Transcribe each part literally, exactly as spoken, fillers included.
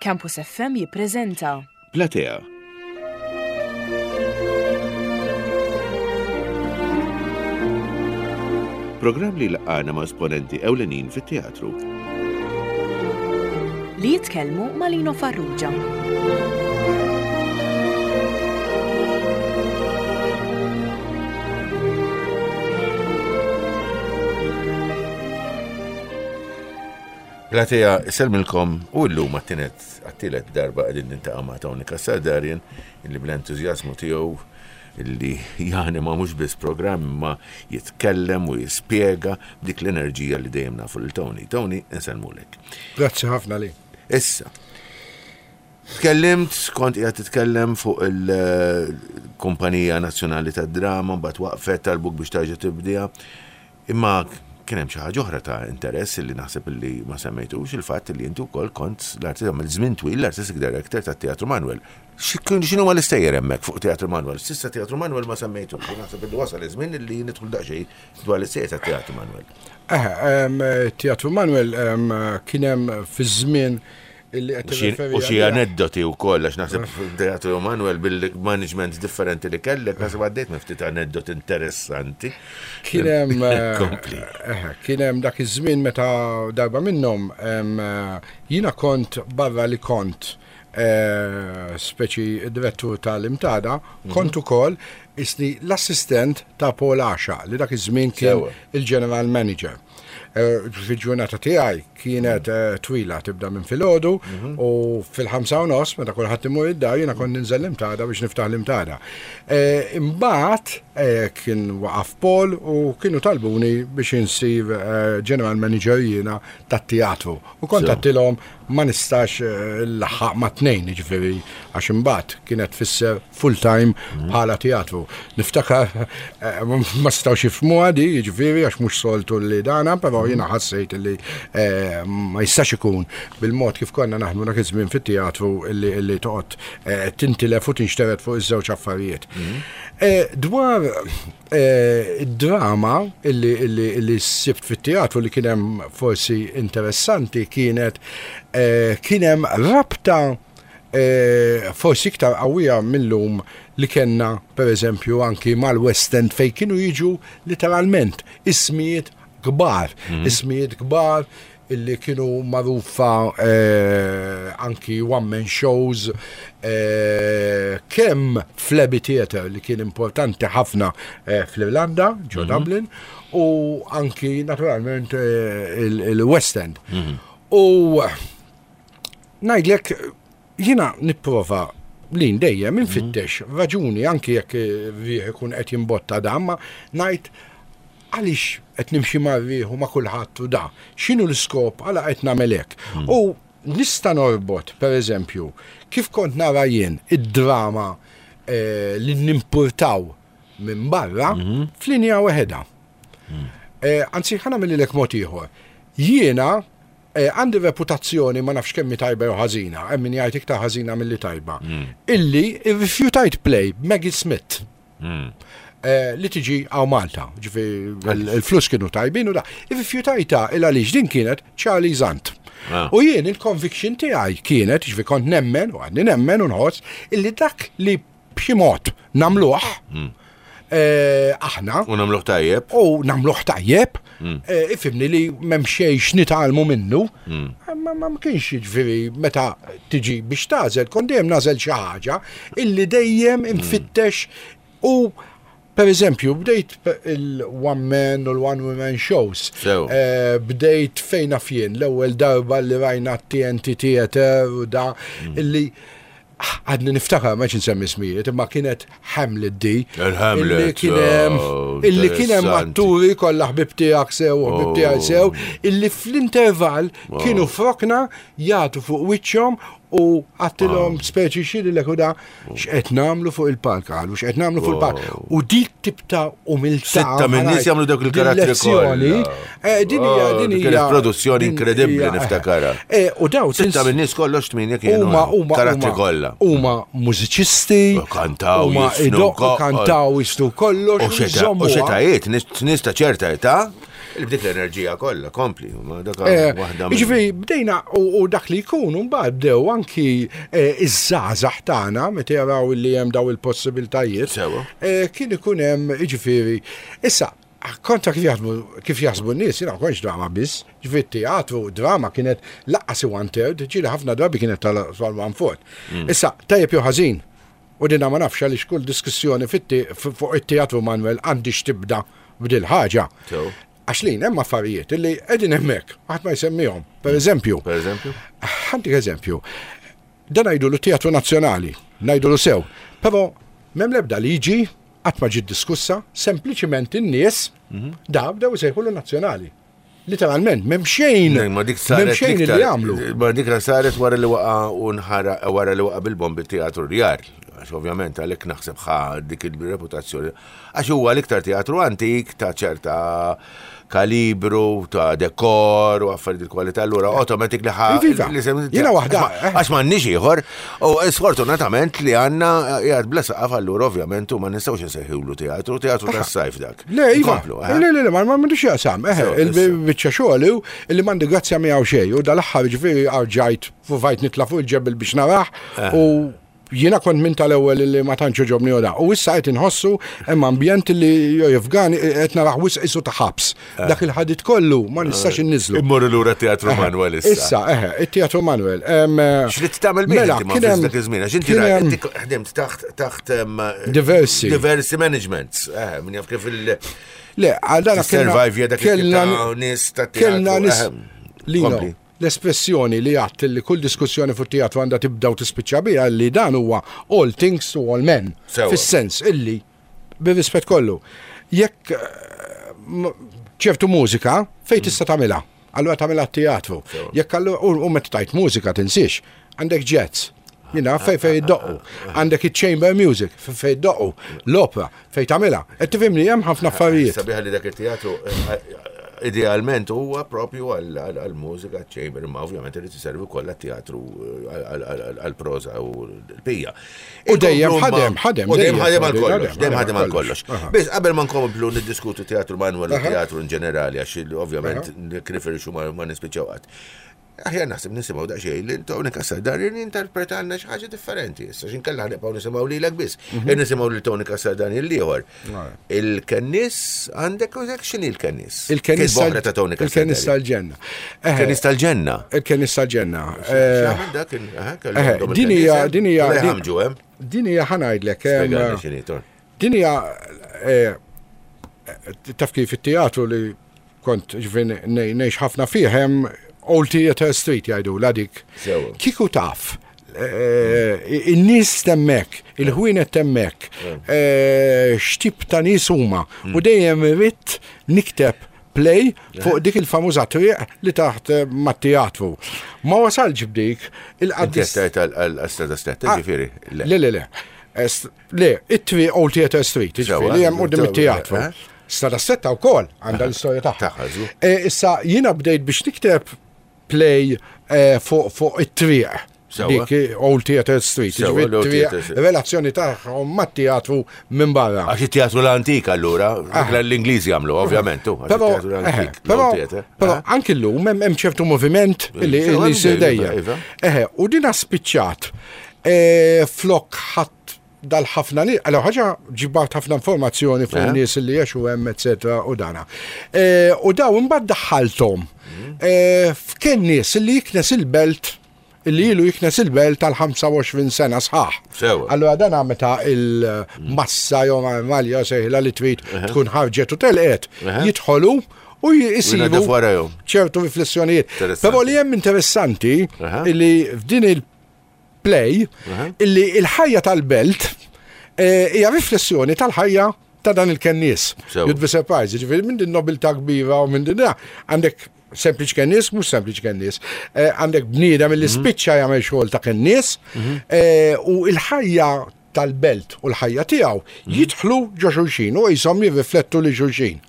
Campus F M jippreżenta Platea. Programm li laqana ma' esponenti ewlenin fit-teatru. Li jitkellmu ma' Lino Farrugia. Platea, sellmilkom u llum għat-tielet għat-tielet darba qegħdin nintaqa' ma' Tony Cassar Darien, illi bl-entużjażmu tiegħu illi janima mhux biss programm imma jitkellem u jispjega b'dik l-enerġija li dejjem nafu lil Tony. Tony, insellmulek. Grazzi ħafna li. Issa, tkellimt, kont qiegħed titkellem fuq il-Kumpanija Nazzjonali tad-Drama, mbagħad waqfet, talbuk biex tarġa' tibdiha. Imma kien hemm xi ħaġa oħra ta' interess li naħseb li ma semmejtux, il-fatt li inti wkoll kont l-artist għamil żmien twil l-artistic director tat-Teatru Manuel. X'inhu ma l-istejjer hemmhekk fuq Teatru Manuel? S'issa Teatru Manuel ma semmejtux, u naħseb li wasal iż-żmien li nidħlu daqsxejn dwar l-istejjer tat-Teatru Manuel. Eh, Teatru Manuel kien hemm fi żmien illi qed U xi- tirreferi U xi għalih. aneddoti wkoll, għax naħseb Teatru Manuel bil-management differenti li kellek, naħseb għaddejt minn ftit aneddoti interessanti. Kien hemm eh, Kompli. eh, kien hemm dak iż-żmien meta darba minnhom em, eh, jiena kont barra li kont eh, speċi direttur tal-Imtada, kont ukoll isni l-assistent ta' Paul Asha li dak iż-żmien kien Sewa. il-general manager. Eh, Fil-ġurnata tiegħi kienet eh, twila, tibda minn filgħodu u fil-ħamsa u nofs meta kulħadd imur id-dar jiena kont ninżel l-Imtada biex niftaħ l-Imtada. Eh, Imbagħad eh, kien waqaf Paul u kienu talbuni biex insir eh, general manager jiena tat-teatru. U kont So. għedtilhom ma nistax eh, nlaħħaq ma' tnejn, jiġifieri għax imbagħad kienet tfisser full time bħala teatru. Niftakar eh, ma stawx jifhmuha di, jiġifieri għax mhux soltu li dana, però jiena ħassejt li eh, ma jistax ikun bil-mod kif konna naħdmu dak iż-żmien fit-teatru illi illi toqgħod eh, tintilef u tinxteret fuq iż-żewġ affarijiet. Eh, Dwar eh, id-drama illi, illi, illi sibt fit-teatru li kien hemm forsi interessanti kienet eh, kien hemm rabta eh, forsi iktar qawwija millum li kellna per eżempju anki mal-West End, fejn kienu jiġu literalment ismijiet kbar, ismijiet kbar illi kienu magħrufa eh, anki one-man shows eh, kemm fl-Abbey Theatre li kien importanti ħafna eh, fl-Irlanda, ġo Dublin, u anki naturalment eh, il- il-West End. U ngħidlek, jiena nipprova li dejjem infittex raġuni, anki jekk riħ ikun qed jimbotta da, ma ngħid għaliex qed nimxi ma' riħ u ma' kulħadd u da. X'inhu l-iskop għala qed nagħmel hekk? U nista' norbot, per eżempju, kif kont nara jien id-drama eh, li nimpurtaw minn barra f'linja waħedha. Eh, Anzi, ħa nagħmilhielek mod ieħor. Jiena eh, għandi reputazzjoni, ma nafx kemmi tajba jew ħażina, hemm min jgħid iktar ħażina milli tajba, illi irrifjutajt play Maggie Smith eh, li tiġi hawn Malta, ġifi il-flus kienu tajbin u da. Irrifjutajta il għaliex din kienet Charlie Zant. Ah. U jien il-conviction tiegħi kienet, ġifi kont nemmen, u għadni nemmen u nħoss, illi dak li b'xi mod nagħmluh eh, aħna U nagħmluh tajjeb. u nagħmluh tajjeb, eh, ifhimni li m'hemm xejn x'nitgħallmu minnu, ma ma ma kienx, jiġifieri meta tiġi biex tagħżel, kont dejjem nagħżel xi ħaġa illi dejjem infittex. U per eżempju, bdejt il-one man u l-one woman shows. Sew. Eh, bdejt fejn naf jien, l-ewwel darba li rajna T N T Theater u da, illi għadni niftakar, ma nsemmi ismijiet, imma kienet Hamlet di. Il-Hamlet, Illi kien hemm oh, illi kien hemm interessanti. atturi kollha ħbib tiegħek sew u ħbib tiegħek Oh. sew, illi fl-intervall kienu f'rokna jagħtu fuq wiċċhom u għedtilhom speċi xiri l da x'qed nagħmlu fuq il-palk, qalu x'qed nagħmlu fuq il-palk. U dik tip ta' umiltà. Sitta minn nies jagħmlu dawk il-karattri lezzjoni, kollha. eh, Din hija Oh, din kienet hija produzzjoni din inkredibbli hija- niftakarha. Eh, U daw Sitta minn nies kollox, tminja kienu. Huma huma Karattri huma- kollha. Huma mużiċisti, U kantaw, huma jisnu idoqqu, ko- kantaw, jisnu kollox, U xeta- jżommuha. u xetajiet, nies nies ta' ċerta età, Il-bdik l-enerġija kollha, kompli, ma dak Eh, waħda minn- Ġifieri, bdejna u u dak li jkun, mbagħad bdew anki eh, iż-żgħażagħ tagħna meta jaraw li hemm daw il-possibiltajiet. Sewa. eh, Kien ikun hemm, ġifieri, issa kontra kif jaħdmu kif jaħsbu n-nies, jiena ma kontx drama biss, ġifieri teatru, drama kienet lanqas one third, ġieli ħafna drabi kienet tal one fourth. Issa, tajjeb jew ħażin, u dina ma nafx għaliex kull diskussjoni fit- fuq it-teatru Manuel għandix tibda b'dil ħaġa. Sew. Għax lin hemm affarijiet illi qegħdin hemmhekk, ħadd ma jsemmihom. Per eżempju, Per eżempju? ħa ntik eżempju, dan ngħidu teatru nazzjonali, ngħidu sew, però m'hemm l-ebda liġi qatt ma ġiet diskussa, sempliċiment in-nies da bdew isejħulu nazzjonali. Literalment, m'hemm xejn, Ma dik m'hemm saret xejn iktar- li jagħmlu. Ma dik saret wara li waqa u nħara wara li waqa bil-bombi teatru Rjal. Għax ovvjament għalhekk naħseb ħa dik il-reputazzjoni. Għax huwa l-iktar teatru antik ta' ċerta kalibru, ta' dekor u affarijiet il-kwalità, allura automatic li ħa. Iva, li sem- jiena waħda, eh. Għax m'għandniex ieħor, u sfortunatament li għandna qiegħed bla saqaf allura ovvjament u ma nistgħux insejħulu teatru, teatru tas-sajf dak. Le, iva, Inkomplu, eh? le, le, le, ma m'għandux jaqsam, eħe, Sew, issa. il-biċċa xogħol hu illi m'għandi grazzja miegħu xejn, u dal-aħħar ġifieri rġajt provajt nitla' fuq il-ġebel biex narah Eh. u jiena kont minn tal-ewwel li ma tantx ġobni u da. U issa qed inħossu hemm ambjent li jofgani qed narah wisq isu ta' ħabs. Eh. Dak il-ħadid kollu ma nistax inniżlu. Immorru lura teatru Manuel issa. Issa, eħe, it-teatru Manuel. Em, X'rid tagħmel bih Mela, inti ma kien hemm- dak iż-żmien għax inti kien ra- hemm inti ħdimt taħt taħt em, Diversi. diversi managements. Eh, min jaf kif il Le, għal dana kellna- Survive dak il-tip kellna- ta' nies ta' teatru, Kellna nies. ehem. Lino, Kompli. l-espressjoni li għadt li kull diskussjoni fuq teatru għandha tibda u tispiċċa biha li dan huwa all things to all men. Sewa. Fis-sens illi, bir-rispett kollu, jekk eh, m- ċertu mużika fejn tista' tagħmilha? Allura tagħmilha teatru. Jekk allura u u meta tajt mużika tinsiex, għandek jazz. Jina, fej fej iddoqqu. Għandek il-chamber music, fej fej iddoqqu. L-opera, fej tagħmilha. Qed tifhimni hemm ħafna affarijiet. Sabiħa li dak il-teatru eh, idealment huwa propju għal-mużika chamber, imma ovvjament irid iservi wkoll għat-teatru għal-proża u l-pija. U dejjem Inkomplu ma- ħadem, ħadem, U dejjem dejjem, ħadem għal dejjem kollox, ħadem, dejjem ħadem għal ħadem kollox. Aha. Biss qabel ma nkomplu niddiskutu teatru Manuel u Aha. teatru in ġenerali, għax il- ovvjament nirriferixxu ma ma nispiċċaw qatt. Aħjar naħseb nisimgħu daqsxejn li Tony Cassar jinterpretalna xi ħaġa differenti. Issa x'inkella nibqgħu nisimgħu lilek biss. Nisimgħu lil Tony Cassar dan il-ieħor. Il-Kennis għandek u x'inhi l-Kennis? Il-Kennis Kitba oħra ta' Tony Cassar. Il-Kennis tal-ġenna. Eħe, Kennis tal-ġenna. Il-Kennis tal-ġenna. Eh, X'għamel dak il- aha, kellu eħe, għandhom din hija- il-Kennis, din hija- Le din- ħamġu hemm. Din hija ħa ngħidlek. em, Spjegalna x'inhi, Ton. Din hija eh, taf kif it-teatru li kont ġifieri ngħix ħafna fih hemm Old Theatre Street jgħidu la dik. Sewa. Kieku taf eh, in-nies t'hemmhekk, il-ħwienet t'hemmhekk, eh, x'tip ta' nies huma u dejjem irrid nikteb play fuq dik il-famuża triq li taħt eh, mat-teatru. Ma wasalx b'dik Inti il-qaddis. qed tgħid għal-Strada Stretta, Ah, ġifieri. Le, le, le. Est- Le, it-triq Old Theatre Street, ġifieri li hemm quddiem it-teatru. eh? Strada Stretta wkoll għandha l-istorja tagħha. Tagħha, żgur. Eh, Issa jiena bdejt biex nikteb play eh, fuq fuq it-triq. Sewa. Dik eh, Old Theatre Street, Sewa, ġifieri l-Old it-triq, Theatre Street. relazzjoni tagħhom mat-teatru minn barra. Għax it-teatru l-antik allura, dik l-Ingliżi għamlu, ovvjament, tu, għax Però, it-teatru eħe, l-antik. però, l-Old Theatre. però Eh? anki llum hemm hemm ċertu moviment li Sewa, li jsir iva, dejjem. iva. Eħe, u dina spiċċat eh, flok ħadd dal-ħafna nies, għal ħaġa ġibart ħafna informazzjoni fuq Eh. nies li jgħixu hemm, eccetera, u dana. Eh, U daw imbagħad daħħalthom Mm. eh, f'kien nies li jiknes il-belt illi ilu jiknes il-belt tal-ħamsa u għoxrin sena sħaħ. Sewa. Allora dan meta il-massa jew malja sejħla li trid tkun ħarġet u telqet, Eħe. jidħolu u jisibu Jnaddaf warajhom. ċertu riflessjonijiet. Interessanti. Però li hemm interessanti Aha. illi f'din il-play Aha. illi il-ħajja tal-belt eh, hija riflessjoni tal-ħajja ta' dan il-kennies. Sewa. You'd be surprised, ġifieri minn din nobiltà kbira u minn din għandek sempliċi kennies, mhux sempliċi kennies. Eh, Għandek bniedem illi spiċċa jagħmel xogħol ta' kennies eh, u il-ħajja tal-belt u l-ħajja tiegħu jidħlu ġo xulxin u jisom jirriflettu li xulxin.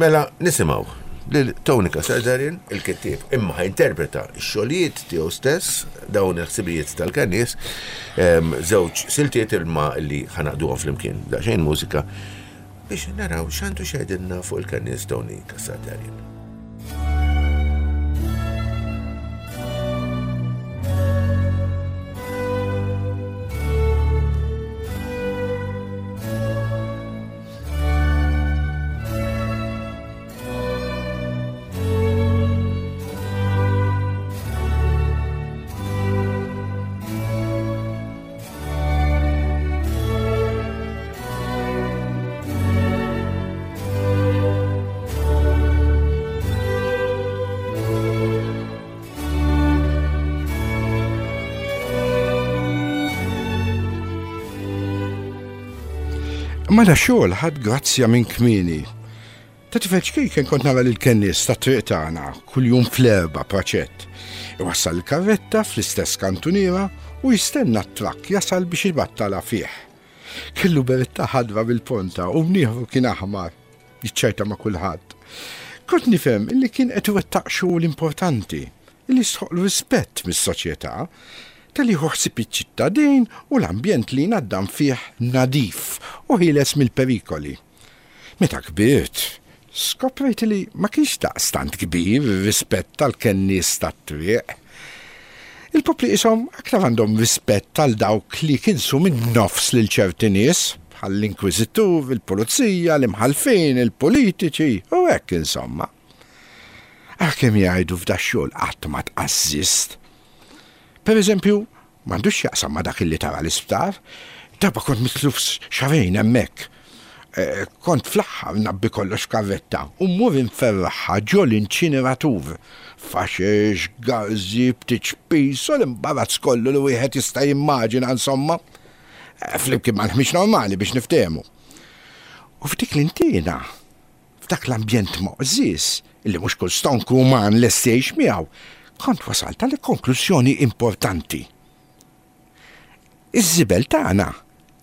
Mela, nisimgħu lil Tony Cassar Darien, il-kittieb, imma ħa jinterpreta x-xogħlijiet tiegħu stess, dawn il-ħsibijiet tal-kennies, em, żewġ siltiet ilma li ħa ngħaqduhom flimkien, daqsxejn mużika. Biex naraw x'għandu x'jgħidilna fuq il-kennies Tony Cassar Darien. Ma da xogħol ħadd grazzja minn kmieni. Ta' tifel ċkejken kont nara lil kennies tat-triq tagħna kuljum fl-erba' praċett. Iwassal il-karretta fl-istess kantuniera u jistenna t-trakk jasal biex ibattala fih. Kellu beretta ħadra bil-ponta u mnieħru kien aħmar, jiċċajta ma' kulħadd. Kont nifhem illi kien qed iwettaq xogħol importanti, illi jistħoqqlu rispett mis-soċjetà, tal-li ħsieb iċ-ċittadin u l-ambjent li jnaddam fih nadif u ħieles mill-perikoli. Meta kbirt, skoprejt li ma kienx daqstant kbir ir-rispett tal-kennies tat-triq. Il-popli qishom aktar għandhom rispett tal dawk li kinsu minn nofs lil ċerti nies, bħall-inkwiżitur, il-pulizija, l-imħallfin, il-politiċi, u hekk insomma. Għalkemm jgħidu f'da xogħol qatt ma tqażżist. Per eżempju, m'għandux x'jaqsam ma' dak li tara l-isptar, darba kont mitluf xahrejn hemmhekk. Kont fl-aħħar nabbi kollox f'karretta u mmur inferraħha ġo l-inċineratur. Faxex, garżi, btiċpis u l-imbarazz kollu li wieħed jista' jimmaġina insomma. Flimkien mal-ħmieġ normali biex niftehmu. U f'dik l-intina, f'dak l-ambjent moqżis, illi mhux kull stonku uman lest jgħix miegħu, kont wasalt għal konklużjoni importanti. Iż-żibel tagħna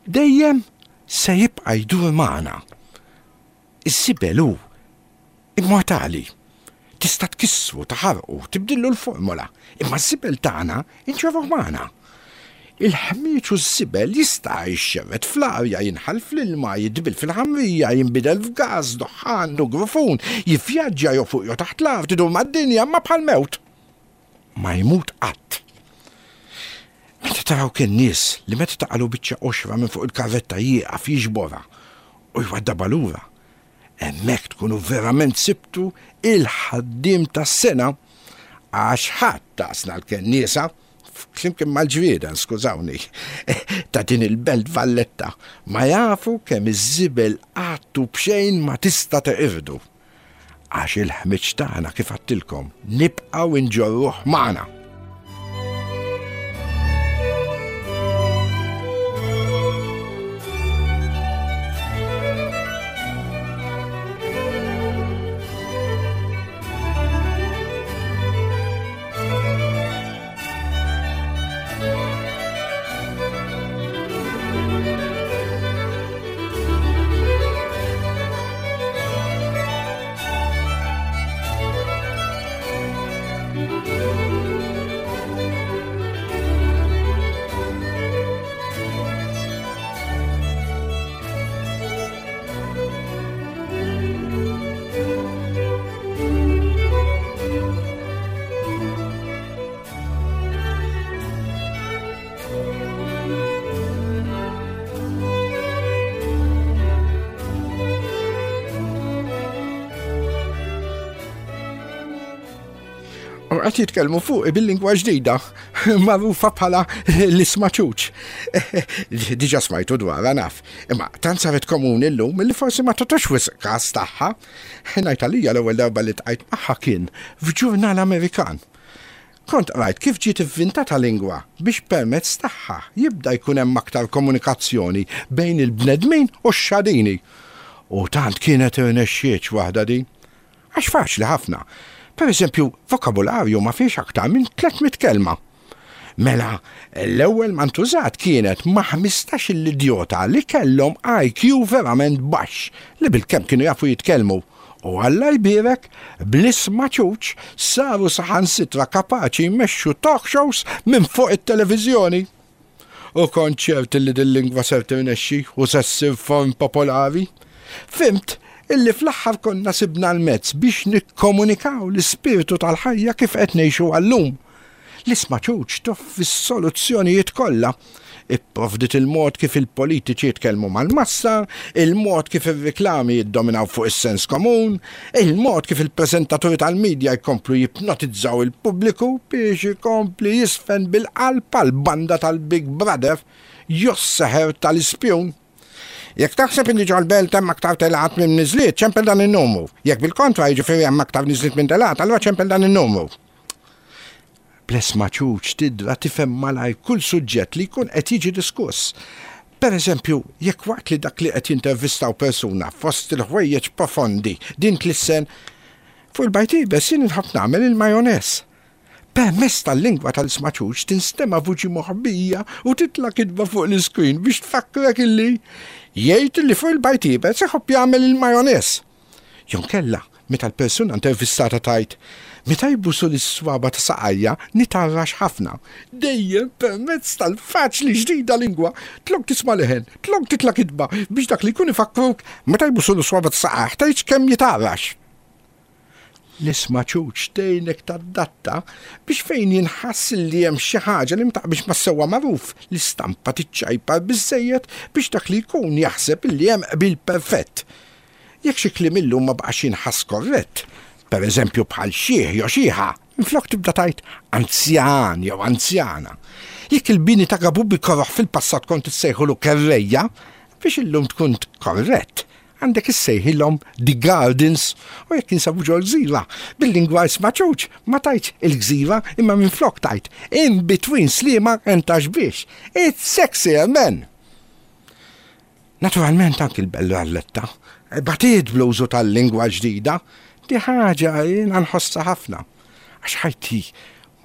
dejjem se jibqa' jdur magħna. Iż-żibel hu immortali. Tista' tkissru, taħarqu, tibdillu l-formola, imma ż-żibel tagħna inġorruh magħna. Il-ħmieġ u ż-żibel jista' jxerred fl-arja, jinħall fl-ilma, jidbil fil-ħamrija, jinbidel f'gas, duħħan, u grufun, jivvjaġġa jew fuq jew taħt l-art, idur mad-dinja, ma bħal mewt. Ma jmut qatt. Meta taraw kien nies li meta taqalu biċċa qoxra minn fuq il-karretta jieqaf jiġborha u jwaddabha lura, hemmhekk tkunu verament sibtu il-ħaddiem tas-sena, għax ħadd taqsna l-kenniesa, flimkien mal-ġrieden, skużawni, ta' din il-belt Valletta, ma jafu kemm iż-żibel qatt u b'xejn ma tista' teqirdu. Għax il-ħmiġ tagħna kif għattilkom nibqgħu nġorruh magħna. Qed jitkellmu fuq bil-lingwa ġdida, magħrufa bħala l-ismaċuċ. Diġà smajtu dwarha naf, imma tant saret komuni llum li forsi ma tagħtux wisq każ tagħha. Ngħid għalija l-ewwel darba li tqajt magħha kien f'ġurnal Amerikan. Kont qrajt kif ġiet ivvintata lingwa biex permezz tagħha jibda jkun hemm aktar komunikazzjoni bejn il-bnedmin u x-xadini. U tant kienet irnexxietx waħda din. Għax faċli ħafna. Per eżempju, vokabularju ma fiex aktar minn tliet mitt kelma. Mela, l-ewwel ma ntużat kienet ma' ħmistax il-idjota li kellhom I Q verament baxx li bilkemm kienu jafu jitkellmu. U Alla jbierek, bl-isma ċuċ saru saħansitra kapaċi jmexxu talk shows minn fuq it-televiżjoni. U kont ċert li din lingwa ser tirnexxi u se ssir form popolari. Fhimt illi fl-aħħar konna sibna l-mezz biex nikkomunikaw l-ispirtu tal-ħajja kif qed ngħixu għallum. L-isma' ċuċ toffri s-soluzzjonijiet kollha. Ipprovdit il-mod kif il-politiċi jitkellmu mal-massa, il-mod kif ir-riklami jiddominaw fuq is-sens komun, il-mod kif il-preżentaturi tal-medja jkomplu jipnotizzaw il-pubbliku biex ikompli jisfen bil-qalb għall-banda tal-Big Brother jos-seħer tal-ispjun. Jekk taħseb illi ġol-belt hemm aktar telgħat minn niżliet, ċempel dan in-numru. Jekk bil-kontra jiġifieri hemm aktar niżliet minn telgħat, allura ċempel dan in-numru. Bl-isma' ċuċ tidra tifhem malajr kull suġġett li jkun qed jiġi diskuss. Per eżempju, jekk waqt li dak li qed jintervistaw persuna fost il-ħwejjeġ profondi din tlissen fuq il-bajd iebes jien inħobb nagħmel il-majoneż. Permezz tal-lingwa tal-isma' ċuċ tinstema' vuċi moħbija u titla' kitba fuq l-iskrin biex tfakkrek illi jgħid li fuq il-bajd iebes iħobb jagħmel il-majoneż. Jew inkella, meta l-persuna intervistata tgħid, meta jbusu l-iswaba ta' saqajja nitarrax ħafna. Dejjem permezz tal-faċli ġdida lingwa, tlok tisma' leħen, tlok titla' kitba biex dak li jkun ifakruk meta jbusu l-iswaba ta' saqajh tgħidx kemm jitarrax. L-isma' ċuċ tgħinek tadatta biex fejn jinħass li hemm xi ħaġa li ma taqbilx mas-sewwa magħruf, l-istampa tiċċajpar biżżejjed biex dak li jkun jaħseb li hemm qbil perfett. Jekk xi kliem illum ma baqax jinħass korrett, per eżempju bħal xieħ jew xieħa, minflok tibda tgħid anzjan jew anzjana. Jekk il-bini ta' Gabubi koroħ fil-passat kont issejħulu kerrejja, biex illum tkun korrett, għandek issejħilhom the gardens, u jekk jinsabu ġol gżira, bil-lingwa isma' ċuċ, ma tgħidx il-gżira imma minflok tgħid in between Sliema and Ta' Xbiex. It's sexier, man! Naturalment anki l-Belt Valletta batiet bl-użu tal-lingwa ġdida, di ħaġa jiena nħossha ħafna, għax ħajti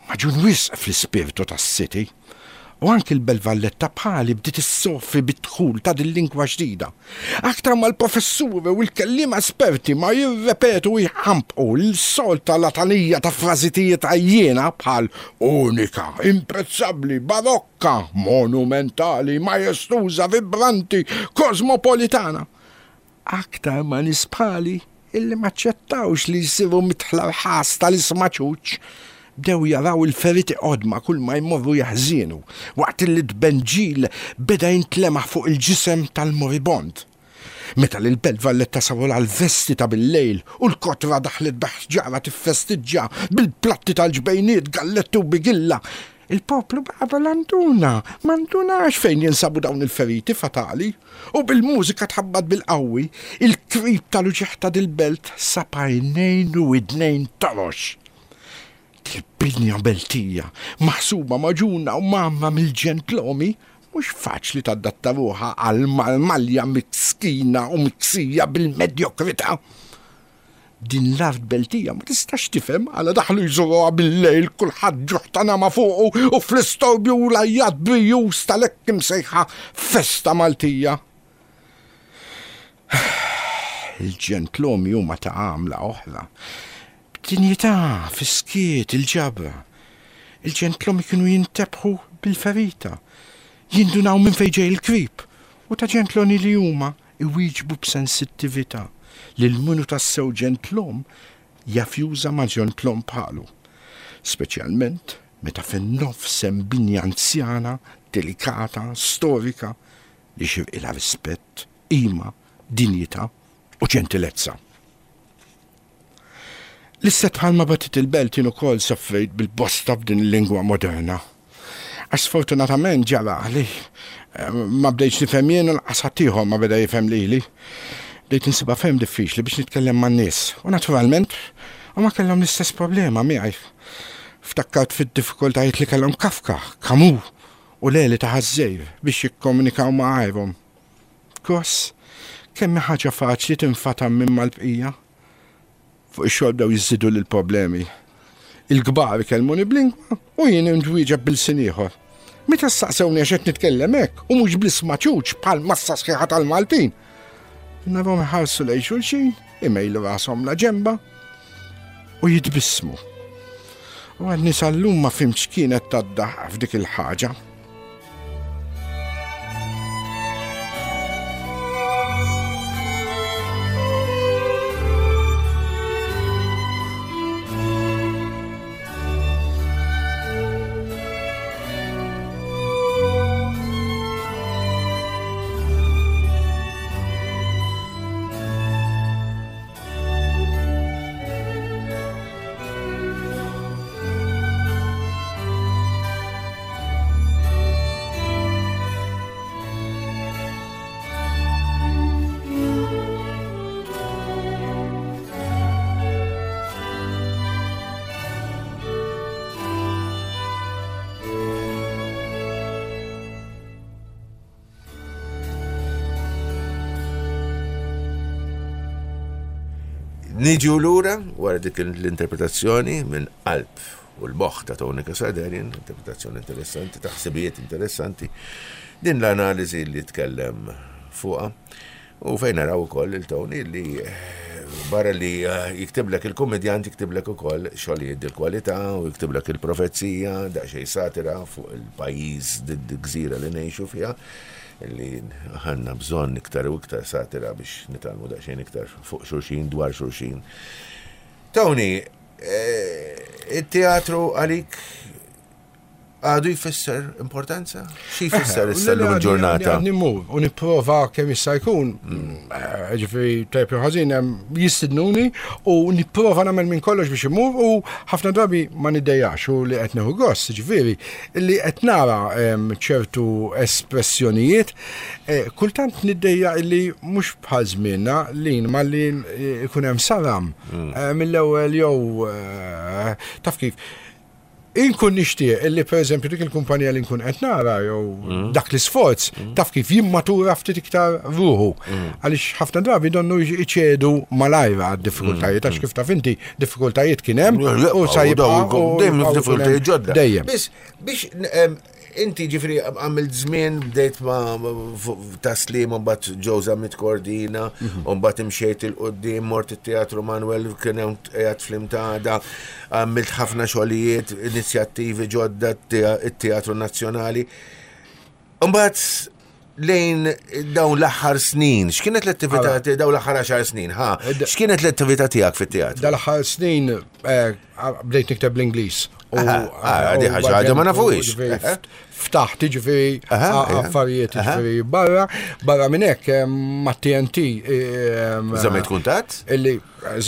maġun wisq fl-ispirtu tas-city. U anki l-Belt Valletta bħali bdiet issofri bid-dħul ta' din lingwa ġdida. Aktar ma l-professuri u l-kelliema esperti ma jirrepetu u jħampqu l-solta latanija ta' frażitijiet għajjiena bħal unika, imprezzabbli, barokka, monumentali, majestuża, vibranti, kosmopolitana. Aktar ma nies bħali illi ma ċċettawx li jsiru mitħla l-ħas tal-isma' ċuċ, bdew jaraw il-feriti qodma kull ma jmorru jaħżienu, waqt li d-benġil beda jintlemaħ fuq il-ġisem tal-moribond. Meta l-Belt Valletta saru l-vesti ta' bil-lejl u l-kotra daħlet b'ħġara tiffestiġġa bil-platti tal-ġbejniet, galletti u bigilla, il-poplu baqa' balanduna, mandunax fejn jinsabu dawn il-feriti fatali, u bil-mużika tħabbat bil-qawwi, il-krib tal-uġigħ ta' dil-belt sab għajnejn u widnejn torox. Dil-binja beltija, maħsuba maġuna u mamma mill-ġentlomi, mhux faċli tadatta ruħha għal malmalja miskina u miksija bil-medjokrità. Din l-art beltija ma tistax tifhem għala daħlu jżuruha bil-lejl kulħadd ġuħ ta' nama fuqu u fl-istorbju u l-għajjat brijuż tal-hekk imsejħa festa Maltija. Il-ġentlomi huma ta' għamla oħra. B'dinjità, fis-skiet, il-ġabra. Il-ġentlomi kienu jintebħu bil-ferita, jindunaw minn fejn ġej il-krib, u ta' ġentloni li huma iwieġbu b'sensittività li l-minu tassew ġentlom jaf juża ma' ġentlom bħalu. Speċjalment meta fin-nofs hemm binja anzjana, delikata, storika, li xirqilha rispett, qima, dinjità u ġentilezza. L-istet bħalma batit il-belt jien ukoll soffrejt bil-bosta b'din il-lingwa moderna. Għax sfortunatament ġara li, eh, ma bdejtx nifhem jien u lanqas ħaddieħor ma beda jifhem lili. Bdejt insibha ferm diffiċli biex nitkellem man-nies u naturalment huma kellhom l-istess problema miegħi. Ftakkart fid-diffikultajiet li kellhom Kafka, Camus u Leli ta' Ħaż-Żgħir biex jikkomunikaw ma' għajrhom. Kos, kemm hi ħaġa faċli tinfatam minn mal-bqija. Fuq ix-xogħol bdew jiżidu lill-problemi. Il-kbar ikellmuni b'lingwa u jien nwieġeb bil-sin ieħor. Meta staqsewni għax qed nitkellem hekk u mhux bl-isma' ċuċ bħal massa sħiħa tal-Maltin. Narhom iħarsu lejn xulxin, imejlu rashom la ġemba u jitbissmu. U għadni sal-lum ma fhimtx kienet tad-daħqa f'dik il-ħaġa. Niġu lura wara dik l-interpretazzjoni minn qalb u l-moħħ ta' Tony Cassar Darien, interpretazzjoni interessanti, ta' ħsibijiet interessanti. Din l-analiżi li tkellem fuqha u fejn naraw ukoll il-Tony li eh, barra li eh, jiktiblek il-komedjant, jiktiblek ukoll xogħlijiet dil-kwalità u jiktiblek il-profezija, daqsxejn satira fuq il-pajjiż, gżira li ngħixu fiha, li għandna bżonn iktar u iktar satira biex nitgħallmu daqsxejn iktar fuq xulxin, dwar xulxin. Tony, eh, il-teatru għalik għadu jfisser importanza? Xi jfisser issa l ġurnata? Għadni mmur u nipprova kemm jista' jkun, eh, ġifieri tajjeb jew ħażin hemm jistidnuni u nipprova nagħmel minn kollox biex imur u ħafna drabi ma niddejjax u li qed nieħu gost, ġifieri li qed nara em, ċertu espressjonijiet, eh, kultant niddejja illi mhux bħal żmienna li ma li ikun hemm saram eh, mill-ewwel jew eh, taf kif. Inkun nixtieq illi, per eżempju, dik il-kumpanija li nkun qed nara jew dak l-isforz, taf kif, jimmatura ftit iktar ruħu. Għaliex ħafna drabi donnu iċedu malajra għad-diffikultajiet, għax kif taf inti, diffikultajiet kien hemm u sa jibqa' u Dejjem jibqgħu diffikultajiet ġodda. Dejjem. Biss biex em, inti ġifri għamilt żmien bdejt ma taslim, mbagħad Joe Zammit Cordina, u mbagħad imxejt 'il quddiem, mort it-Teatru Manuel, kien hemm qiegħed fl-imtada, għamilt ħafna xogħlijiet, inizjattivi ġodda, it-Teatru Nazzjonali. Mbagħad lejn dawn l-aħħar snin, x'kienet l-attività dawn l-aħħar għaxar snin, ha? X'kienet l-attività tiegħek fit-teatru? Dal-aħħar snin eh, bdejt nikteb l-Ingliż. U Aha, ah, di u ħaġa għadha ma u nafuhiex. ġifieri Aha. Ftaħt ġifieri Aha, a- affarijiet aha. ġifieri barra, barra minn hekk eh, ma' T N T eh, Żammejt kuntatt? Illi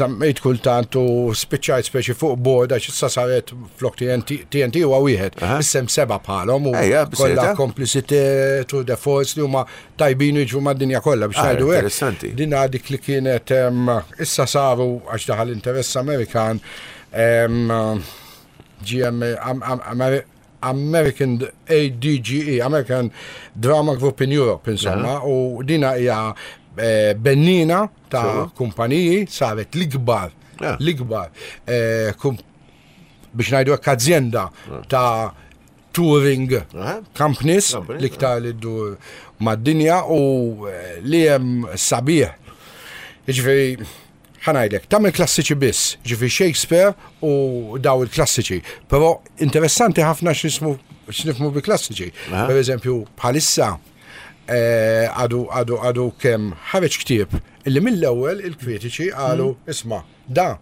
żammejt kultant u spiċċajt speċi fuq board għax issa saret flok T N T, T N T huwa wieħed, Aha. issa hemm seba' bħalhom u Ejja, kollha b'seta. Complicité, Tour de Force li huma tajbin u jiġu mad-dinja kollha biex Ah, ngħidu hekk. interessanti. Din dik li kienet em, issa saru għax daħal interess Amerikan em, G M Am- Am- Ameri- American A D G E, American Drama Group in Europe, insomma, u dina hija eh, bennina ta' Sewa. kumpaniji, saret l-ikbar, Ja. l-ikbar, eh, kum- biex ngħidu hekk, azienda ta' touring Aha. companies, Companies, l-iktar li ddur mad-dinja u eh, li hemm sabiħ. Jiġifieri, ħa ngħidlek, tagħmel klassiċi biss, ġifieri Shakespeare u daw il-klassiċi, però interessanti ħafna x'nismu x'nifhmu bi klassiċi. Aha. Per eżempju, bħalissa eh, għadu għadu għadu kemm ħareġ ktieb illi mill-ewwel il-kritiċi qalu, "Isma', da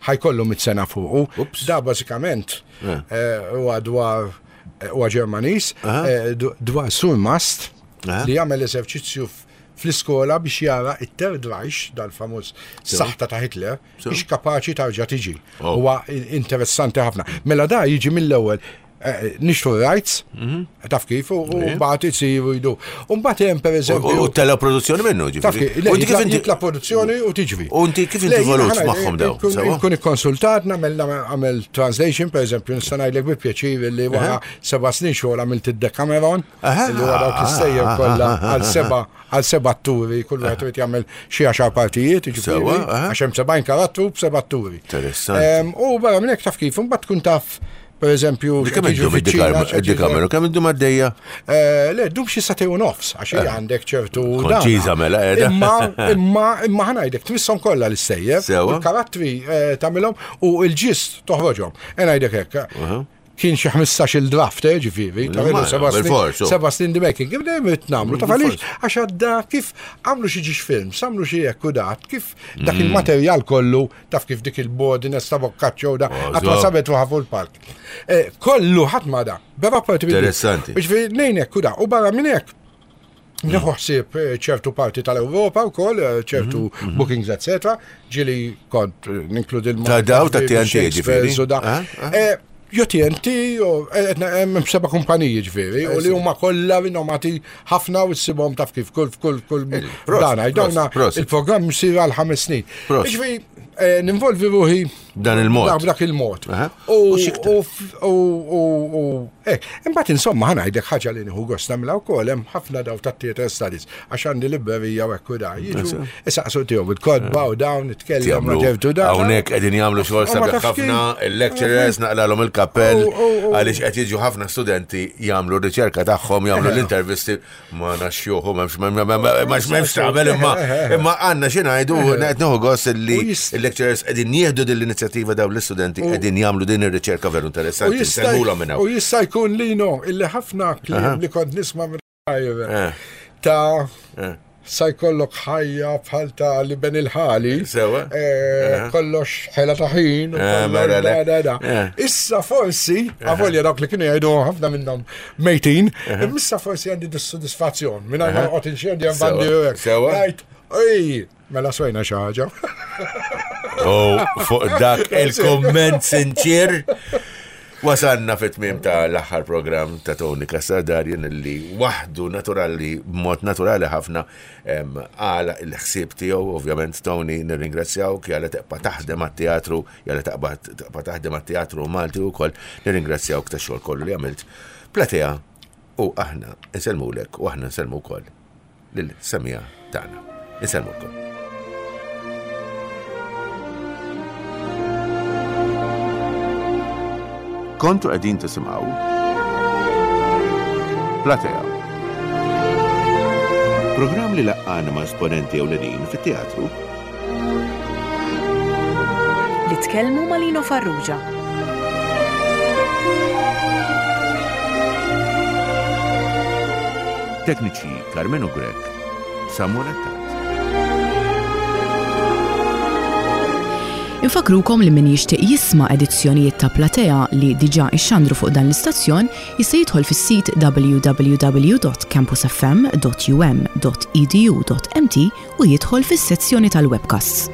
ħa jkollu mitt sena fuqu." Ups. Da bażikament Eh. eh, huwa dwar huwa Ġermaniż, Aha. eh, du- dwar surmast Aha. li jagħmel eżerċizzju f- fl-iskola biex jara it-Third Reich, dal-famuż saħta ta' Hitler, biex kapaċi tarġa' tiġi. Oh. Huwa interessanti ħafna. Mela da jiġi mill-ewwel eh, nixtru rights, taf kif, u u mbagħad isiru jdu. U mbagħad hemm per U eżempju. u tella produzzjoni minnu, Taf ġifieri. kif, le, U inti kif jitla inti jitla produzzjoni u tiġri. U inti kif inti Le, jiena involut ħana- magħhom daw, Nkun sewa? nkun ikkonsultat, nagħmel nagħmel translation, per eżempju, nista' ngħidlek bi pjaċir li wara seba' snin xogħol għamilt id-Decameron, Aha. li huwa dawk l-istejjer kollha għal seba' għal seba' atturi, kull wieħed irid jagħmel xi għaxar partijiet, jiġifieri, Sewa, aha. għax hemm sebgħin karattru b'seba' atturi. Interessanti. Em, U barra minn hekk, taf kif, imbagħad tkun taf, per eżempju, Kemm x'qed jiġri iddum fiċ-Ċina, x'qed jiġri- id-Decameron? Kemm iddum għaddejja? Eh, Le, dum xi sagħtejn u nofs, għax hija għandek ċertu. Konċiża dana. mela, qiegħda. Imma, imma, imma ħa ngħidlek, tmisshom kollha l-istejjer, Sewa. il-karattri eh, tagħmilhom u l-ġist toħroġhom. E ngħidlek hekk. Kien xi ħmistax il-draft, eh, ġifieri, ta' Ma, seba' snin, bil-fors, oh. seba' snin the making. Kif dejjem irid nagħmlu, taf għaliex, Bil-fors. għax għadda kif għamlu xi ġiex films, għamlu xi hekk u dat, kif dak Mm. il-materjal kollu, taf kif dik il-bodiness ta' Boccaccio da, Oh, qatt ma so. sabet ruħha fuq il-palk. Eh, Kollu ħadd ma da, bera parti Interessanti. Ġifieri nejnek u da, u barra minn hekk nieħu ħsieb eh, ċertu parti tal-Ewropa wkoll, eh, ċertu bookings, et cetera. Ġieli kont eh, ninkludi l Ta' daw ta' T N T, ġifieri? ġifieri. Ah, ah. Jo T N T, jo, eh, etna- hemm seba' kumpaniji ġifieri, u li huma kollha rinomati ħafna u ssibhom, taf kif, kull kull kull Prosit, dana, dawna prosit, prosit. il-programm jsir għal ħames snin. Prosit. Ġifieri Eh, ninvolvi ruħi B'dan il-mod. B'dak il-mod. Aha. U U x'iktar? u f- u u u eh, imbagħad insomma ħa ngħidlek ħaġa li nieħu gost nagħmilha wkoll hemm ħafna daw tat-theatre studies għax għandi librerija u hekk u da. Jiġu isaqsu tiegħu il-kotba u dawn nitkellem ma ġewtu da. Hawnhekk qegħdin jagħmlu xogħol U ma sabiħ tafx ħafna, kif. il-lecturers naqlalhom il-kappell U- u- u- għaliex qed jiġu ħafna studenti jagħmlu r-riċerka tagħhom, jagħmlu l-intervisti ma naxxuhom m'hemmx m'hemmx tagħmel imma imma għandna xi ngħidu qed nieħu gost li U jist- il-lecturers qegħdin jieħdu din l-inizjattiva dawn l-istudenti qegħdin jagħmlu din ir-riċerka veru U interessanti. jista' Nsellmulhom minn u hawn. jista' jkun lino illi ħafna kliem li kont nisma' minn Eh, ta' eh. sa jkollok ħajja bħal ta' li ben il-ħali. Sewa. Eh, Kollox ħela ta' ħin. u Eh, kollox mela le. da, da, da. Eh. Issa forsi, avolja dawk li kienu jgħidu ħafna minnhom mejtin, issa forsi għandi dis-sodisfazzjon. Minn ma noqgħod inxendi għandi Sewa. Sewa. Għajt, ej, mela swejna xi ħaġa. U fuq dak il-komment sinċir. Wasanna fit-tmiem ta' l-aħħar program ta' Tony Cassar Darien li waħdu naturali, b'mod naturali ħafna em, għala il-ħsieb tiegħu, ovvjament Tony nirringrazzjawk, jalla tibqa' taħdem għat-teatru, jalla tibqa' tibqa' taħdem għat-teatru Malti wkoll, nirringrazzjawk tax-xogħol kollu li għamilt. Platea u aħna nsellmulek u aħna nsellmu wkoll lil-semija tagħna. Insellmulkom. Kontu qegħdin tisimgħu Platea. Programm li laqqana ma' esponenti ewlenin fit-teatru Li tkellmu ma' Lino Farrugia. Tekniċi Carmenu Grek, Samuel Attard. Infakrukom li min jixtieq jisma' edizzjonijiet ta' Platea li diġà ixxandru fuq dan l-istazzjon jista' jidħol fis-sit w w w dot campusfm dot u m dot e d u dot m t u jidħol fis-sezzjoni tal-webcasts.